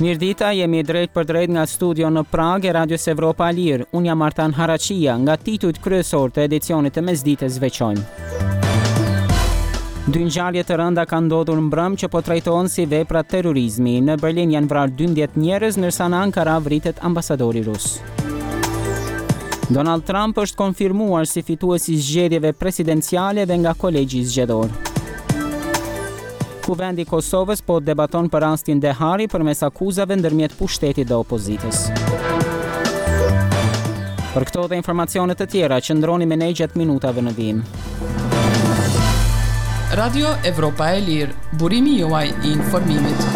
Mirëdita, jemi drejtpërdrejt nga studio në Pragë e Radios Evropa e Lirë. Unë jam Artan Haraqia, nga titujt kryesorë të edicionit të mesditës veçojmë. Dy ngjarje të rënda kanë ndodhur mbrëmë që po trajtohen si vepra terrorizmi. Në Berlin janë vrarë 12 njerëz, ndërsa në Ankara vritet ambasadori rus. Donald Trump është konfirmuar si fitues i zgjedhjeve presidenciale dhe nga kolegji zgjedhor. Kuvendi i Kosovës po debaton për rastin Dehari përmes akuzave ndërmjet pushtetit dhe opozitës. Për këto dhe informacione të tjera, qëndroni me ne gjatë minutave në vijim. Radio Evropa e Lirë, burimi juaj i informimit.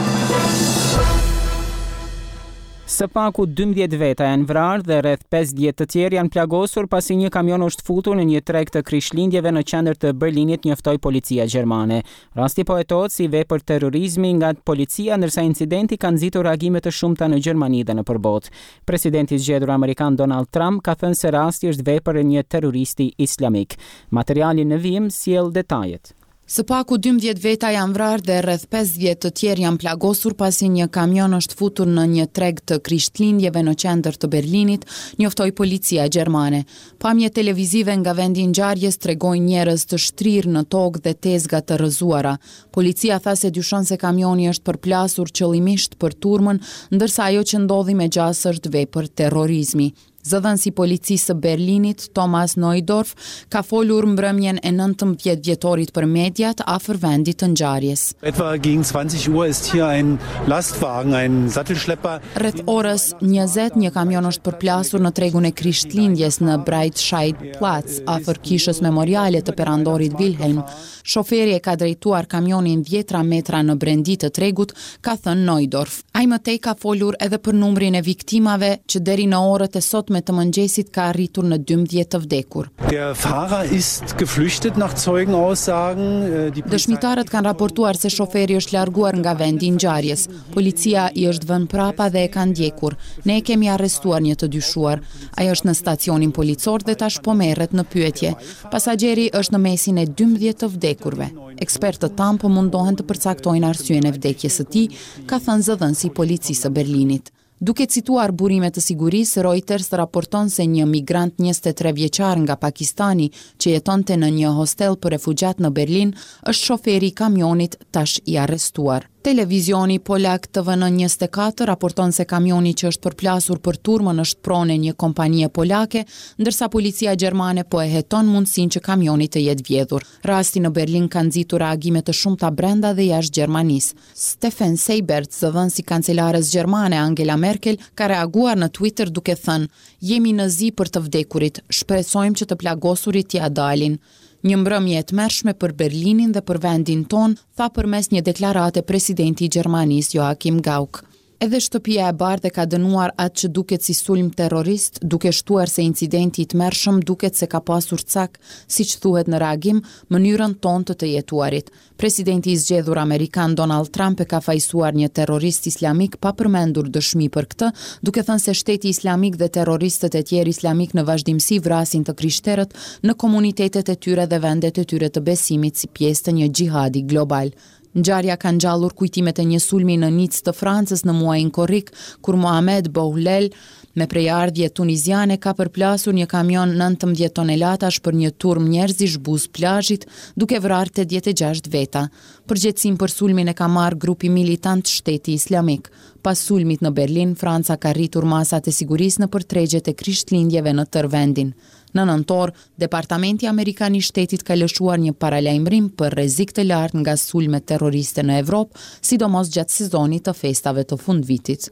Së paku 12 veta janë vrarë dhe rreth 50 të tjerë janë plagosur pasi një kamion është futur në një treg të Krishtlindjeve në qendër të Berlinit, njoftoi policia gjermane. Rasti po hetohet si vepër terrorizmi nga policia, ndërsa incidenti ka nxitur reagime të shumta në Gjermani dhe nëpër botë. Presidenti i zgjedhur amerikan Donald Trump ka thënë se rasti është vepër e një terroristi islamik. Materiali në vijim sjell detajet. Së paku 12 veta janë vrarë dhe rreth 50 të tjerë janë plagosur pasi një kamion është futur në një treg të Krishtlindjeve në qendër të Berlinit, njoftoi policia gjermane. Pamjet televizive nga vendi i ngjarjes tregojnë njerëz të shtrirë në tokë dhe tezga të rrëzuara. Policia tha se dyshon se kamioni është përplasur qëllimisht për turmën, ndërsa ajo që ndodhi me gjasë është vepër terrorizmi. Zëdhënësi i policisë së Berlinit, Thomas Neudorf, ka folur mbrëmjen e 19 dhjetorit për mediat afër vendit të ngjarjes. Etwa gegen 20 Uhr ist hier ein Lastwagen, ein Sattelschlepper. Rreth orës 20, një kamion është përplasur në tregun e Krishtlindjes në Breitscheidplatz, afër kishës memoriale të perandorit Wilhelm. Shoferi e ka drejtuar kamionin dhjetra metra në brendi të tregut, ka thënë Neudorf. Ai më tej ka folur edhe për numrin e viktimave, që deri në orët e sotme të mëngjesit ka arritur në 12 të vdekur. Der Fahrer ist geflüchtet nach Zeugenaussagen. Die Dëshmitarët kanë raportuar se shoferi është larguar nga vendi i ngjarjes. Policia i është vënë prapa dhe e ka ndjekur. Ne e kemi arrestuar një të dyshuar. Ai është në stacionin policor dhe tash po merret në pyetje. Pasagjeri është në mesin e 12 të vdekurve. Ekspertët tanë po mundohen të përcaktojnë arsyen e vdekjes së tij, ka thënë zëdhënësi i policisë së Berlinit. Duke cituar burime të sigurisë, Reuters raporton se një migrant 23 vjeçar nga Pakistani që jetonte në një hostel për refugjat në Berlin është shoferi i kamionit tash i arrestuar. Televizioni polak TVN 24 raporton se kamioni që është përplasur për turmën është pronë e një kompanie polake, ndërsa policia gjermane po e heton mundësinë që kamioni të jetë vjedhur. Rasti në Berlin ka nxitur reagime të shumta brenda dhe jashtë Gjermanisë. Steffen Seibert, zëdhënës i kancelares gjermane Angela Merkel, ka reaguar në Twitter duke thënë: "Jemi në zi për të vdekurit, shpresojmë që të plagosurit t'ia dalin." Një mbrëmje e tmerrshme për Berlinin dhe për vendin tonë, tha përmes një deklarate presidenti i Gjermanisë Joachim Gauck. Edhe Shtëpia e Bardhë e ka dënuar atë që duket si sulm terrorist, duke shtuar se incidenti i tmerrshëm duket se ka pasur cak, siç thuhet në reagim, mënyrën tonë të të jetuarit. Presidenti i zgjedhur amerikan Donald Trump e ka fajësuar një terrorist islamik pa përmendur dëshmi për këtë, duke thënë se shteti islamik dhe terroristët e tjerë islamik në vazhdimësi vrasin të krishterët në komunitetet e tyre dhe vendet e tyre të besimit si pjesë të një xhihadi global. Ngjarja ka ngjallur kujtimet e një sulmi në Nicë të Francës në muajin korrik, kur Mohamed Bouhlel, me prejardhje tuniziane ka përplasur një kamion 19 tonelatash për një turmë njerëzish buzë plazhit, duke vrarë 86 veta. Përgjegjësinë për sulmin e ka marrë grupi militant Shteti Islamik. Pas sulmit në Berlin, Franca ka rritur masat e sigurisë nëpër tregjet e Krishtlindjeve në tërë vendin. Në nëntor, Departamenti Amerikan i Shtetit ka lëshuar një paralajmërim për rrezik të lartë nga sulmet terroriste në Evropë, sidomos gjatë sezonit të festave të fundvitit.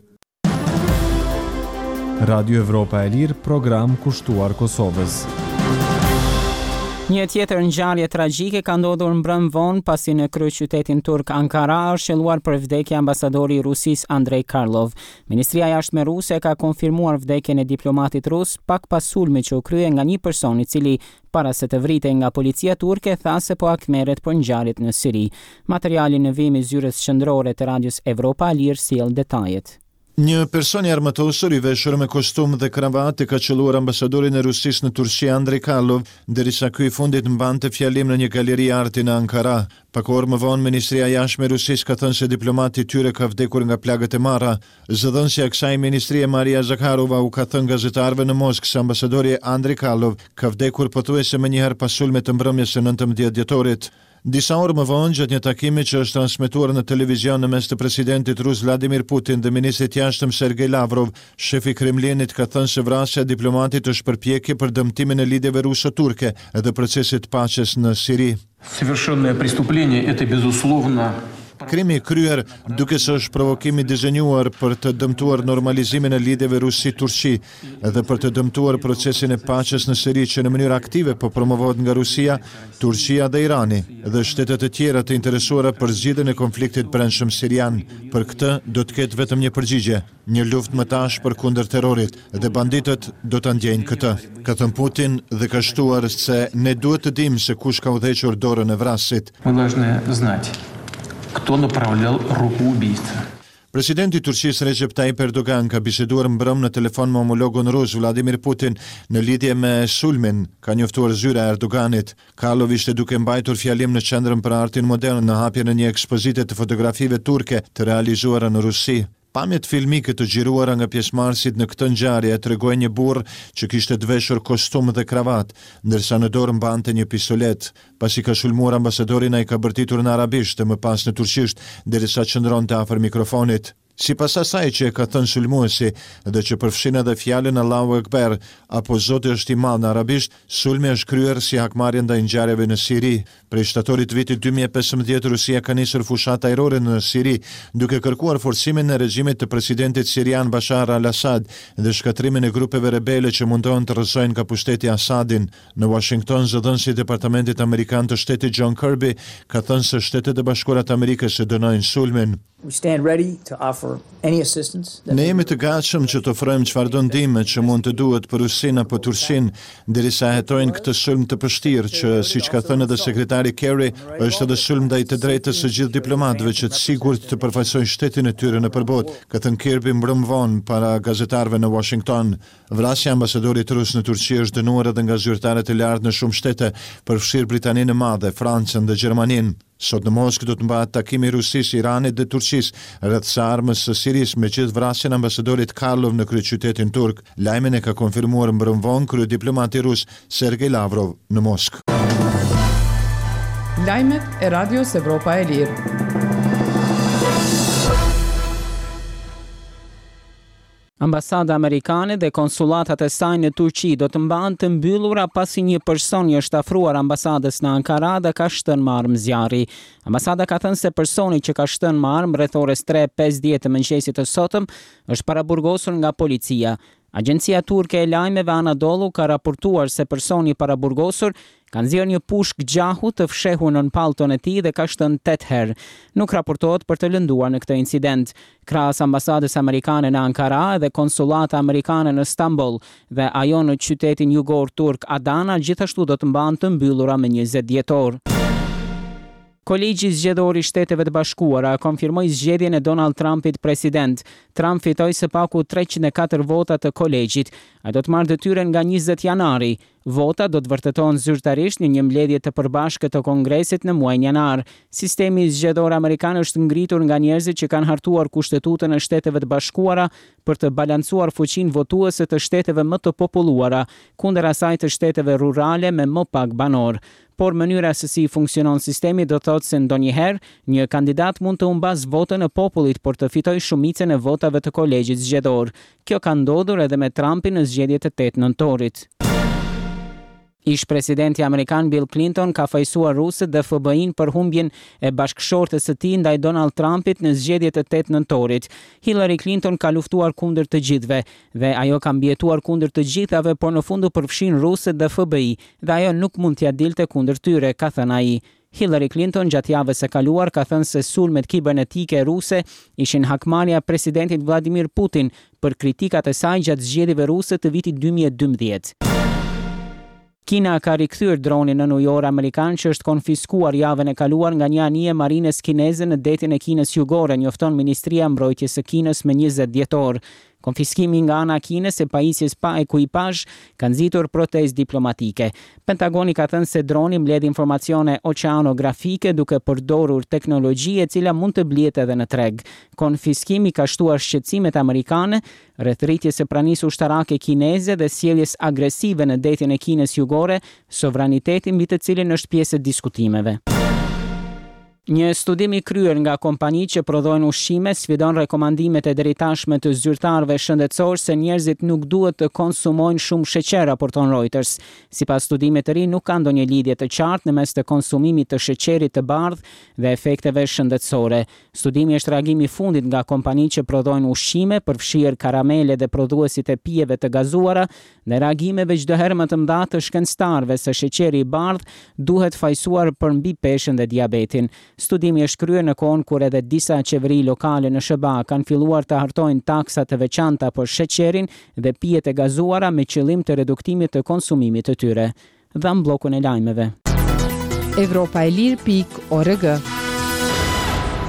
Radio Evropa e Lirë, program kushtuar Kosovës. Një tjetër ngjarje tragjike ka ndodhur mbrëmë vonë pasi në kryeqytetin turk Ankara është qëlluar për vdekje ambasadori i Rusisë Andrei Karlov. Ministria e Jashtme ruse ka konfirmuar vdekjen e diplomatit rus pak pas sulmit që u krye nga një person i cili para se të vritej nga policia turke tha se po hakmerret për ngjarjet në Siri. Materiali në vijim i zyrës qendrore të Radios Evropa e Lirë sjell detajet. Një person i armatosur i veshur me kostum dhe kravatë ka qëlluar ambasadorin e Rusisë në Turqi Andrei Karlov, derisa ky i fundit mbante fjalim në një galeri arti në Ankara. Pak orë më vonë, Ministria e Jashtme e Rusisë ka thënë se diplomati i tyre ka vdekur nga plagët e marra. Zëdhënësja e kësaj ministrie Maria Zakharova u ka thënë gazetarëve në Moskë se ambasadori Andrei Karlov ka vdekur pothuajse menjëherë pas sulmit të mbrëmjes së 19 dhjetorit. Disa orë më vonë, gjatë një takimi që është transmetuar në televizion në mes të presidentit rus Vladimir Putin dhe ministrit të Jashtëm Sergei Lavrov, shefi i Kremlinit ka thënë se vrasja e diplomatit është përpjekje për dëmtimin e lidhjeve ruso-turke dhe procesit të paqes në Siri. Совершенное преступление это безусловно Krimi i kryer duket se është provokim i dizenjuar për të dëmtuar normalizimin e lidhjeve Rusi-Turqi dhe për të dëmtuar procesin e paqes në Siri që në mënyrë aktive po promovohet nga Rusia, Turqia dhe Irani dhe shtete të tjera të interesuara për zgjidhjen e konfliktit brendshëm sirian. Për këtë do të ketë vetëm një përgjigje, një luftë më të ashpër kundër terrorit dhe banditët do ta ndjejnë këtë, ka thënë Putin dhe ka shtuar se ne duhet të dimë se kush ka udhëhequr dorën e vrasësit. Мы должны знать, кто направлял руку убийцы. Presidenti i Turqisë Recep Tayyip Erdogan ka biseduar mbrëmë në telefon me homologun rus Vladimir Putin në lidhje me sulmin, ka njoftuar zyra e Erdoganit. Karlov ishte duke mbajtur fjalim në Qendrën për Artin Modern në hapjen e një ekspozite të fotografive turke të realizuara në Rusi. Pamjet filmike të xhiruara nga pjesëmarrësit në këtë ngjarje tregojnë një burrë që kishte të veshur kostum dhe kravatë, ndërsa në dorë mbante një pistoletë. Pasi ka sulmuar ambasadorin ai ka bërtitur në arabisht e më pas në turqisht, derisa qëndronte afër mikrofonit. Sipas asaj që e ka thënë sulmuesi dhe që përfshin edhe fjalën Allahu Akbar apo Zoti është i madh në arabisht, sulmi është kryer si hakmarrje ndaj ngjarjeve në Siri. Prej shtatorit të vitit 2015 Rusia ka nisur fushatë ajrore në Siri, duke kërkuar forcimin e regjimit të presidentit sirian Bashar al-Assad dhe shkatërrimin e grupeve rebele që mundohen të rrëzojnë nga pushteti Assadin. Në Washington, zëdhënësi i Departamentit Amerikan të Shtetit John Kirby ka thënë se Shtetet e Bashkuara të Amerikës e dënojnë sulmin. Ne jemi të gatshëm që të ofrojmë çfarëdo ndihme që mund të duhet për Rusinë apo Turqinë, derisa hetojnë këtë sulm të pështirë që, siç ka thënë edhe sekretari Kerry, është edhe sulm ndaj të drejtës së gjithë diplomatëve që të sigurt të përfaqësojnë shtetin e tyre nëpër botë, ka thënë Kirby mbrëmë vonë para gazetarëve në Washington. Vrasja e ambasadorit rus në Turqi është dënuar edhe nga zyrtarët e lartë në shumë shtete, përfshirë Britaninë e Madhe, Francën dhe Gjermaninë. Sot në Moskë do të mbahet takimi i Rusisë, Iranit dhe Turqisë rreth së armës së Sirisë, me gjithë vrasjen e ambasadorit Karlov në kryeqytetin turk. Lajmin e ka konfirmuar mbrëmë vonë kryediplomati rus Sergei Lavrov në Moskë. Lajmet e Radios Evropa e Lirë. Ambasada amerikane dhe konsullatat e saj në Turqi do të mbahen të mbyllura pasi një person i është afruar ambasadës në Ankara dhe ka shtënë me armë zjarri. Ambasada ka thënë se personi që ka shtënë me armë rreth orës 3:50 të mëngjesit të sotëm është paraburgosur nga policia. Agjencia turke e lajmeve Anadolu ka raportuar se personi i paraburgosur ka nxjerrë një pushkë gjahu të fshehur nën pallton e tij dhe ka shtënë 8 herë. Nuk raportohet për të lënduar në këtë incident. Krahas ambasadës amerikane në Ankara edhe konsullata amerikane në Stamboll dhe ajo në qytetin jugor turk Adana gjithashtu do të mbahen të mbyllura më 20 dhjetor. Kolegji Zgjedhor i Shteteve të Bashkuara konfirmoi zgjedhjen e Donald Trumpit president. Trump fitoi së paku 304 vota të kolegjit. Ai do të marrë detyrën nga 20 janari. Votat do të vërtetohen zyrtarisht në një mbledhje të përbashkët të Kongresit në muajin janar. Sistemi zgjedhor amerikan është ngritur nga njerëzit që kanë hartuar Kushtetutën e Shteteve të Bashkuara për të balancuar fuqinë votuese të shteteve më të populluara kundër asaj të shteteve rurale me më pak banorë. Por mënyra se si funksionon sistemi do të thotë se ndonjëherë një kandidat mund të humbasë votën e popullit por të fitojë shumicën e votave të kolegjit zgjedhor. Kjo ka ndodhur edhe me Trumpin në zgjedhjet e 8 nëntorit. Ish-presidenti amerikan Bill Clinton ka fajësuar rusët dhe FBI-n për humbjen e bashkëshortes së tij ndaj Donald Trumpit në zgjedhjet e 8 nëntorit. Hillary Clinton ka luftuar kundër të gjithëve dhe ajo ka mbijetuar kundër të gjithave, por në fund u përfshin rusët dhe FBI dhe ajo nuk mund t'ia dilte kundër tyre, ka thënë ai. Hillary Clinton gjatë javës së kaluar ka thënë se sulmet kibernetike ruse ishin hakmarrja e presidentit Vladimir Putin për kritikat e saj gjatë zgjedhjeve ruse të vitit 2012. Kina ka rikthyer dronin nënujor amerikan që është konfiskuar javën e kaluar nga një anije e marinës kineze në Detin e Kinës Jugore, njofton Ministria e Mbrojtjes së Kinës më 20 dhjetor. Konfiskimi nga ana e Kinës e pajisjes pa ekuipazh ka nxitur protestë diplomatike. Pentagoni ka thënë se droni mbledh informacione oqeanografike duke përdorur teknologji e cila mund të blihet edhe në treg. Konfiskimi ka shtuar shqetësimet amerikane rreth rritjes së pranisë ushtarake kineze dhe sjelljes agresive në Detin e Kinës Jugore, sovraniteti mbi të cilin është pjesë e diskutimeve. Një studim i kryer nga kompanitë që prodhojnë ushqime sfidon rekomandimet e deritashme të zyrtarëve shëndetësorë se njerëzit nuk duhet të konsumojnë shumë sheqer, raporton Reuters. Sipas studimit të ri, nuk ka ndonjë lidhje të qartë në mes të konsumimit të sheqerit të bardhë dhe efekteve shëndetësore. Studimi është reagimi i fundit nga kompanitë që prodhojnë ushqime, përfshirë karamele dhe prodhuesit e pijeve të gazuara, ndaj reagimeve çdo herë më të mëdha të shkencëtarëve se sheqeri i bardhë duhet fajësuar për mbipeshën dhe diabetin. Studimi është kryer në kohën kur edhe disa qeveri lokale në SHBA kanë filluar të hartojnë taksa të veçanta për sheqerin dhe pijet e gazuara me qëllim të reduktimit të konsumimit të tyre. Dhamë bllokun e lajmeve. Evropa e Lirë pikë org.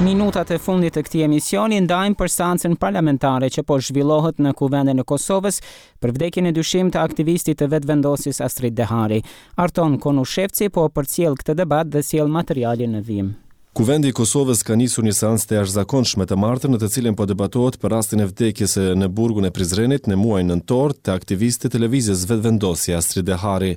Minutat e fundit të këtij emisioni ndajmë për seancën parlamentare që po zhvillohet në Kuvendin e Kosovës për vdekjen e dyshimtë të aktivistit të Vetëvendosjes Astrit Dehari. Arton Konushevci po përcjell këtë debat dhe sjell materialin në vijim. Kuvendi i Kosovës ka nisur një seancë të jashtëzakonshme të martën në të cilën po debatohet për rastin e vdekjes në burgun e Prizrenit në muajin nëntor të aktivistit të Lëvizjes Vetëvendosje, Astrit Dehari.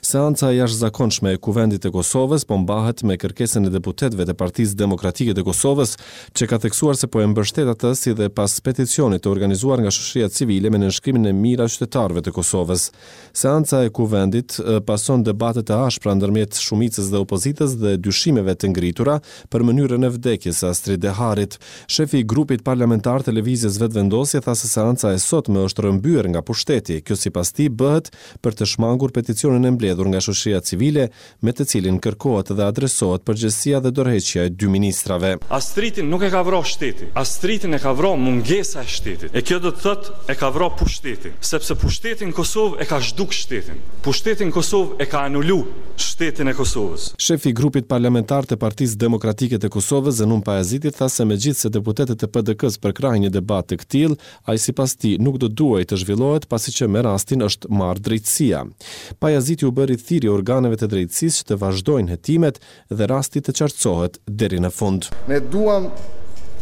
Seanca e jashtëzakonshme e Kuvendit të Kosovës po mbahet me kërkesën e deputetëve të Partisë Demokratike të Kosovës, që ka theksuar se po e mbështet atë si dhe pas peticionit të organizuar nga shoqëria civile me nënshkrimin e mijëra qytetarëve të Kosovës. Seanca e Kuvendit pason debate të ashpra ndërmjet shumicës dhe opozitës dhe dyshimeve të ngritura për mënyrën e vdekjes së Astrit Deharit. Shefi i grupit parlamentar të Lëvizjes Vetëvendosje tha se seanca e sotme është rrëmbyer nga pushteti. Kjo sipas tij bëhet për të shmangur peticionin e mbledhur nga shoqëria civile me të cilin kërkohet dhe adresohet përgjegjësia dhe dorëheqja e dy ministrave. Astritin nuk e ka vra shteti, Astritin e ka vra mungesa e shtetit. E kjo do të thotë e ka vra pushteti, sepse pushteti në Kosovë e ka zhduk shtetin. Pushteti në Kosovë e ka anulu shtetin e Kosovës. Shefi i grupit parlamentar të Partisë Demokratike të Kosovës, Zenun Pajaziti tha se megjithëse deputetët e PDK-së përkrahin një debat të këtillë, Ai sipas tij nuk do duhej të zhvillohet pasi që me rastin është marrë drejtësia. Pajaziti u bëri thirrje organeve të drejtësisë që të vazhdojnë hetimet dhe rasti të qartësohet deri në fund. Ne duam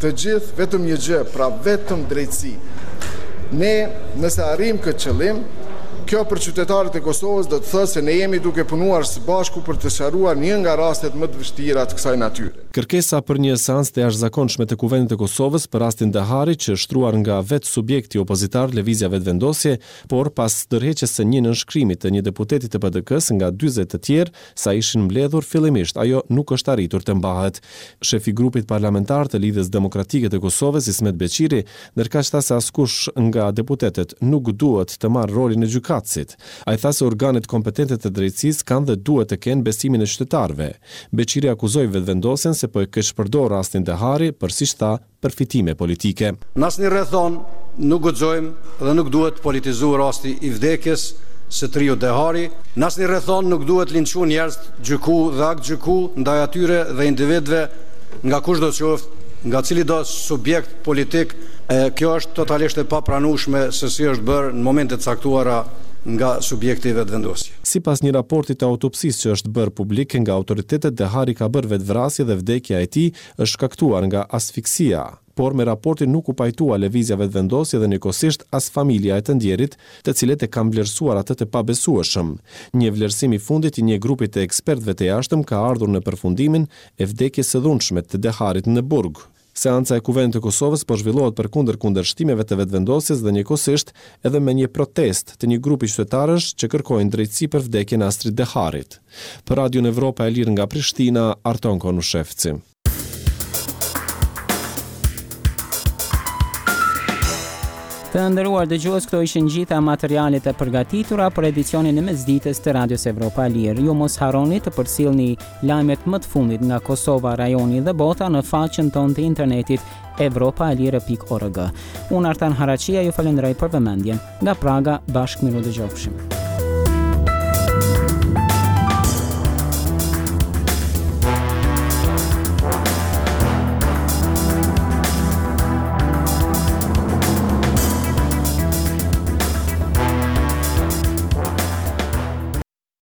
të gjithë vetëm një gjë, pra vetëm drejtësi. Ne nëse arrijmë këtë qëllim, kjo për qytetarët e Kosovës do të thotë se ne jemi duke punuar së bashku për të sqaruar një nga rastet më të vështira të kësaj natyre. Kërkesa për një seancë të jashtëzakonshme të Kuvendit të Kosovës për rastin Dehari që është shtruar nga vetë subjekti opozitar Lëvizja Vetëvendosje, por pas dorëheqjes së një nënshkrimi të një deputeti të PDK-së nga 40 të tjerë sa ishin mbledhur fillimisht ajo nuk është arritur të mbahet. Shefi i grupit parlamentar të Lidhjes Demokratike të Kosovës, Ismet Beqiri, ndërkaq tha se askush nga deputetët nuk duhet të marrë rolin e gjykatësit. Ai tha se organet kompetente të drejtësisë kanë dhe duhet të kenë besimin e qytetarëve. Beqiri akuzoi Vetëvendosjen se po e keqpërdor rastin Dehari për, siç tha, përfitime politike. Në asnjë rrethanë nuk guxojmë dhe nuk duhet politizu rasti i vdekjes së të riut Dehari, në asnjë rrethanë nuk duhet linçu njerëzit, gjyku dhe aktgjyku ndaj atyre dhe individëve nga kushdo qoftë, nga cilido subjekt politik, e kjo është totalisht e papranueshme se si është bërë në momente të caktuara nga subjekti Vetëvendosje. Sipas një raporti të autopsisë që është bërë publik nga autoritetet, Dehari ka bërë vetëvrasje dhe vdekja e tij është shkaktuar nga asfiksia. Por me raportin nuk u pajtua Lëvizja Vetëvendosje dhe njëkohësisht as familja e të ndjerit, të cilët e kanë vlerësuar atë të pabesueshëm. Një vlerësim i fundit i një grupi të ekspertëve të jashtëm ka ardhur në përfundimin e vdekjes së dhunshme të Deharit në burg. Seanca e Kuvendit të Kosovës po zhvillohet përkundër kundërshtimeve të Vetëvendosjes dhe njëkohësisht edhe me një protestë të një grupi qytetarësh që kërkojnë drejtësi për vdekjen e Astrit Deharit. Për Radion Evropa e Lirë nga Prishtina, Arton Konushevci. Të nderuar dëgjues, këto ishin gjitha materialet e përgatitura për edicionin e mesditës të Radios Evropa e Lirë. Ju mos harroni të përcillni lajmet më të fundit nga Kosova, rajoni dhe bota në faqen tonë të internetit evropaelire.org. Unë Artan Haraçia ju falenderoj për vëmendjen. Nga Praga, bashkë mirudëgjofshim.